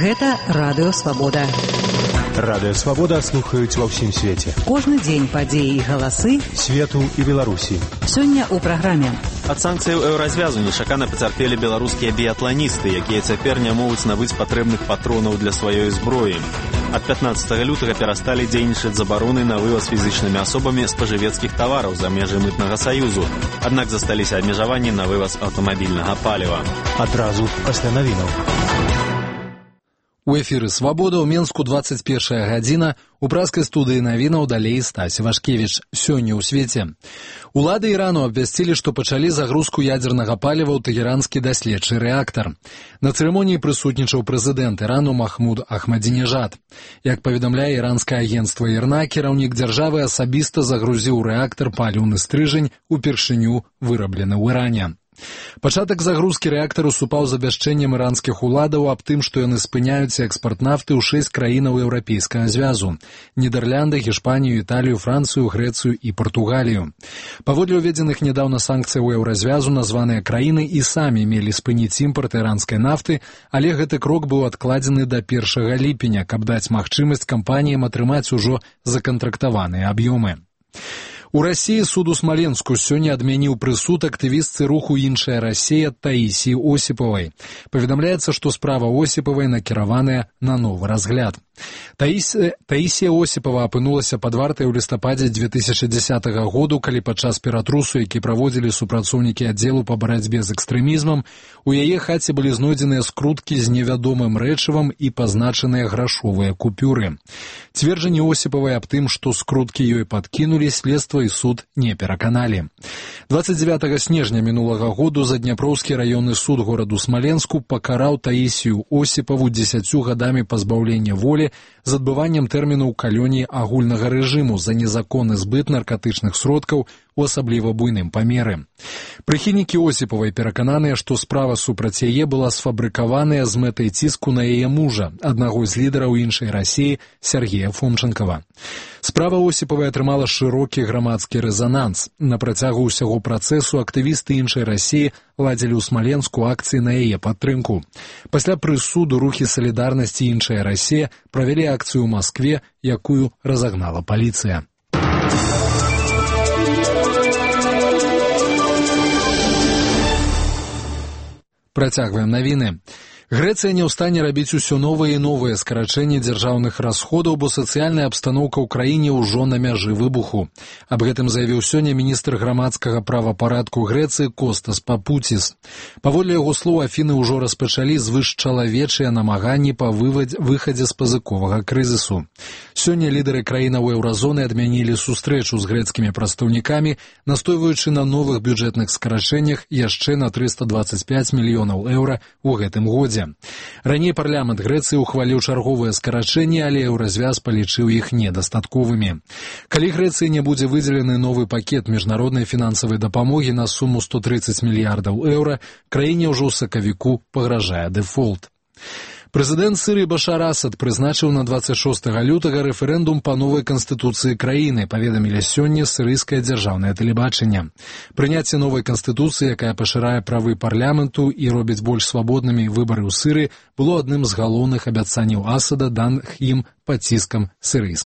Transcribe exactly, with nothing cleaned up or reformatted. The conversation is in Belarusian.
Гэта Радыё Свабода. Радыё Свабода слухаюць ва ўсім свеце. Кожны дзень падзеі і галасы свету і Беларусі. Сёння ў праграме. Ад санкцыяў еўразвязу нечакана пацярпелі беларускія біятланісты, якія цяпер не могуць набыць патрэбных патронаў для сваёй зброі. Ад пятнаццатага лютага перасталі дзейнічаць забароны на вываз фізічнымі асобамі спажывецкіх тавараў за межы мытнага саюзу. Аднак засталіся абмежаванні на вываз аўтамабільнага паліва. Адразу пасля навінаў. У эфіры «Свабода» ў Менску двадцать першая гадзіна, у праскай студыі навінаў далей Стась Вашкевіч. Сёння ў свеце. Улады Ірану абвясцілі, што пачалі загрузку ядзернага паліва ў тэгеранскі даследчы рэактар. На цырымоніі прысутнічаў прэзідэнт Ірану Махмуд Ахмадзінежад. Як паведамляе іранскае агенцтва ІРНА, кіраўнік дзяржавы асабіста загрузіў рэактар паліўны стрыжань, упершыню выраблены ў Іране. Пачатак загрузкі рэактару супаў з абвяшчэннем іранскіх уладаў аб тым, што яны спыняюць экспарт нафты ў шэсць краінаў еўрапейскага звязу – Нідерланды, Гішпанію, Італію, Францыю, Грэцыю і Партугалію. Паводле ўведзеных нядаўна санкцыяў еўразвязу названыя краіны і самі мелі спыніць імпарт іранскай нафты, але гэты крок быў адкладзены да першага ліпеня, каб даць магчымасць кампаніям атрымаць ужо закантрактаваныя аб'ёмы. У Расіі суд у Смаленску сёння адмяніў прысуд актывістцы руху «Іншая Расія» Таісіі Осіпавай. Паведамляецца, што справа Осіпавай накіраваная на новы разгляд. Таісія, Таісія Осіпава апынулася пад вартай у лістападзе две тысячы дзесятага году, калі падчас ператрусу, які праводзілі супрацоўнікі аддзелу па барацьбе з экстрэмізмам, у яе хаце былі знойдзеныя скруткі з невядомым рэчывам і пазначаныя грашовыя купюры. Цверджанні Осіпавай аб тым, што скруткі ёй падкінулі, следства і суд не пераканалі. двадцать девятага снежня мінулага году Задняпроўскі раённы суд гораду Смаленску пакараў Таісію Осіпаву дзесяцю гадамі пазбаўлення волі з адбываннем тэрміну ў калоніі агульнага рэжыму за незаконны збыт наркатычных сродкаў у асабліва буйным памеры. Прыхільнікі Осіпавай перакананыя, што справа супраць яе была сфабрыкаваная з мэтай ціску на яе мужа, аднаго з лідараў іншай Расіі, Сергея Фомчанкава. Справа Осіпавай атрымала шырокі грамадскі рэзананс. На працягу ўсяго працэсу актывісты іншай Расіі ладзілі ў Смаленску акцыі на яе падтрымку. Пасля прысуду рухі салідарнасці іншая Расія правялі акцыю ў Маскве, якую разагнала паліцыя. Працягваем навіны. Грэцыя не ў стане рабіць усё новыя і новыя скарачэнні дзяржаўных расходаў, бо сацыяльная абстаноўка ў краіне ўжо на мяжы выбуху. Аб гэтым заявіў сёння міністр грамадскага правапарадку Грэцыі Костас Папуціс. Паводле яго слоў, Афіны ўжо распачалі звышчалавечыя намаганні па выхадзе з пазыковага крызісу. Сёння лідары краінаў еўразоны адмянілі сустрэчу з грэцкімі прадстаўнікамі, настойваючы на новых бюджэтных скарачэннях яшчэ на трыста дваццаць пяць мільёнаў еўра ў гэтым годзе. Раней парламент Грэцыі ухваліў чарговыя скарачэнні, але еўразвяз палічыў іх недастатковымі. Калі Грэцыі не будзе выдзелены новы пакет міжнароднай фінансавай дапамогі на суму сто трыццаць мільярдаў еўра, краіне ўжо ў сакавіку пагражае дэфолт. Прэзідэнт Сірыі Башар Асад прызначыў на двадцать шостага лютага рэферэндум па новай канстытуцыі краіны, паведамілі сёння сірыйскае дзяржаўнае тэлебачанне. Прыняцце новай канстытуцыі, якая пашырае правы парламенту і робіць больш свабоднымі выбары ў Сірыі, было адным з галоўных абяцанняў Асада, даных ім пад ціскам сірыйскай